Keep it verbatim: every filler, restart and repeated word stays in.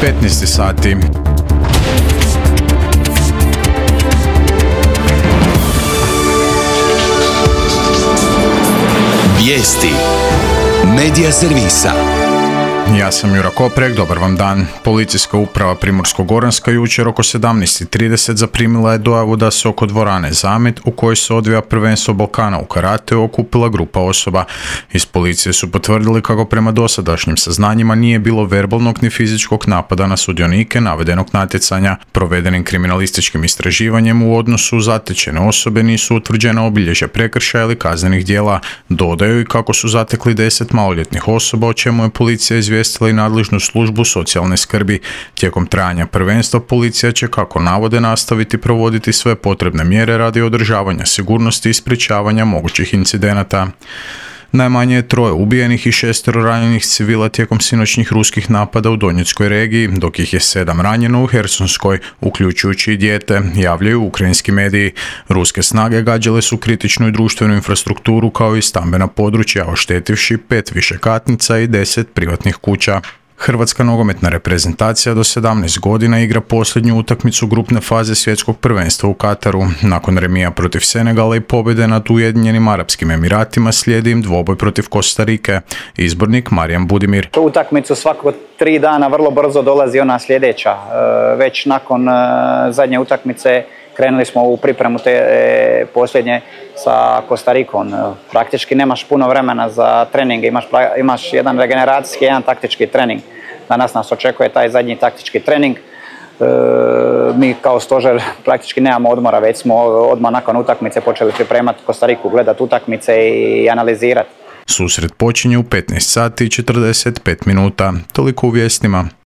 petnaest sati. Vijesti Medija servisa. Ja sam Jura Koprek, dobar vam dan. Policijska uprava Primorsko-goranska jučer oko sedamnaest trideset zaprimila je dojavu da se oko dvorane Zamet, u kojoj se odvija prvenstvo Balkana u karateu, okupila grupa osoba. Iz policije su potvrdili kako prema dosadašnjim saznanjima nije bilo verbalnog ni fizičkog napada na sudionike navedenog natjecanja. Provedenim kriminalističkim istraživanjem u odnosu zatečene osobe nisu utvrđena obilježja prekršaja ili kaznenih djela. Dodaju i kako su zatekli deset maloljetnih osoba, o čemu je policija izvijestila i nadležnu službu socijalne skrbi. Tijekom trajanja prvenstva policija će, kako navode, nastaviti provoditi sve potrebne mjere radi održavanja sigurnosti i sprječavanja mogućih incidenata. Najmanje je troje ubijenih i šestero ranjenih civila tijekom sinoćnih ruskih napada u Donjeckoj regiji, dok ih je sedam ranjeno u Hersonskoj, uključujući i dijete, javljaju ukrajinski mediji. Ruske snage gađale su kritičnu i društvenu infrastrukturu kao i stambena područja, oštetivši pet višekatnica i deset privatnih kuća. Hrvatska nogometna reprezentacija do sedamnaest godina igra posljednju utakmicu grupne faze svjetskog prvenstva u Kataru. Nakon remija protiv Senegala i pobjede nad Ujedinjenim Arapskim Emiratima slijedi im dvoboj protiv Kostarike. Izbornik Marijan Budimir. U utakmicu svako tri dana vrlo brzo dolazi ona sljedeća. Već nakon zadnje utakmice krenuli smo u pripremu te posljednje sa Kostarikom. Praktički nemaš puno vremena za treninge, imaš, imaš jedan regeneracijski, jedan taktički trening. Danas nas očekuje taj zadnji taktički trening. E, mi kao stožer praktički nemamo odmora, već smo odmah nakon utakmice počeli pripremati Kostariku, gledati utakmice i analizirati. Susret počinje u petnaest sati i četrdeset pet minuta. Toliko u vijestima.